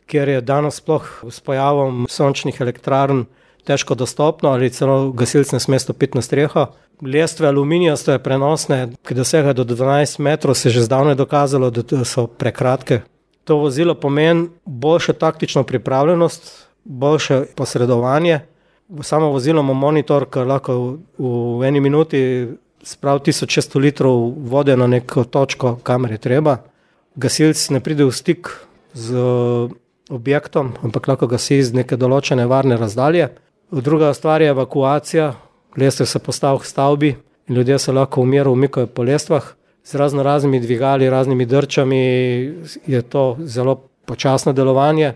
kjer je danes sploh s pojavom sončnih elektrarn težko dostopno ali celo gasilci ne sme stopiti na streho. Lestve aluminijasto je prenosne, ki dosegajo do 12 metrov, se je že zdavnaj dokazalo, da so prekratke. To vozilo pomeni boljšo taktično pripravljenost, boljše posredovanje. Samo vozilo ima monitor, ki lahko v eni minuti spravi 1600 litrov vode na neko točko, kamor je treba. Gasilci ne pride v stik z objektom, ampak lahko gasi z neke določene varne razdalje. Druga stvar je evakuacija. Lestve se postavi v stavbi in ljudje se lahko v miru umikajo po lestvah. Z raznimi dvigali, raznimi drčami je to zelo počasno delovanje.